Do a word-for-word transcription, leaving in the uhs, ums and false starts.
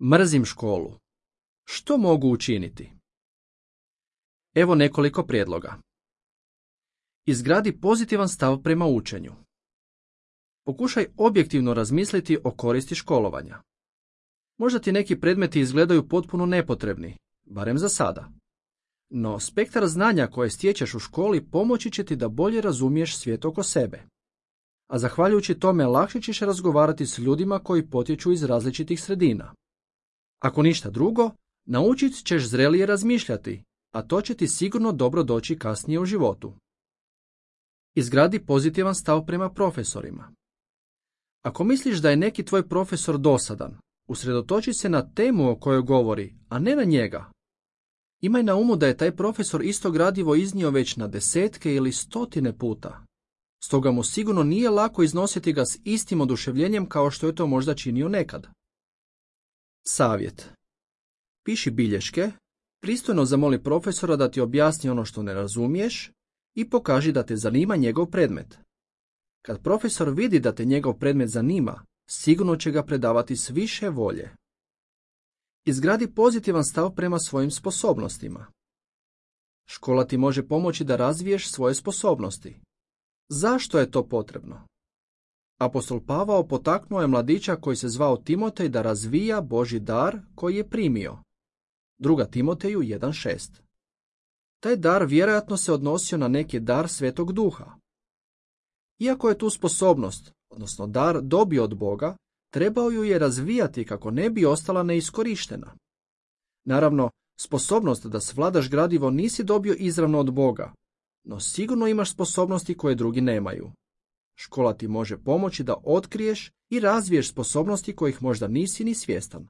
Mrzim školu. Što mogu učiniti? Evo nekoliko prijedloga. Izgradi pozitivan stav prema učenju. Pokušaj objektivno razmisliti o koristi školovanja. Možda ti neki predmeti izgledaju potpuno nepotrebni, barem za sada. No, spektar znanja koje stječeš u školi pomoći će ti da bolje razumiješ svijet oko sebe. A zahvaljujući tome lakše ćeš razgovarati s ljudima koji potječu iz različitih sredina. Ako ništa drugo, naučit ćeš zrelije razmišljati, a to će ti sigurno dobro doći kasnije u životu. Izgradi pozitivan stav prema profesorima. Ako misliš da je neki tvoj profesor dosadan, usredotoči se na temu o kojoj govori, a ne na njega. Imaj na umu da je taj profesor isto gradivo iznio već na desetke ili stotine puta. Stoga mu sigurno nije lako iznositi ga s istim oduševljenjem kao što je to možda činio nekad. Savjet. Piši bilješke, pristojno zamoli profesora da ti objasni ono što ne razumiješ i pokaži da te zanima njegov predmet. Kad profesor vidi da te njegov predmet zanima, sigurno će ga predavati s više volje. Izgradi pozitivan stav prema svojim sposobnostima. Škola ti može pomoći da razviješ svoje sposobnosti. Zašto je to potrebno? Apostol Pavao potaknuo je mladića koji se zvao Timotej da razvija Božji dar koji je primio. Druga Timoteju jedan šest. Taj dar vjerojatno se odnosio na neki dar Svetog Duha. Iako je tu sposobnost, odnosno dar, dobio od Boga, trebao ju je razvijati kako ne bi ostala neiskorištena. Naravno, sposobnost da svladaš gradivo nisi dobio izravno od Boga, no sigurno imaš sposobnosti koje drugi nemaju. Škola ti može pomoći da otkriješ i razviješ sposobnosti kojih možda nisi ni svjestan.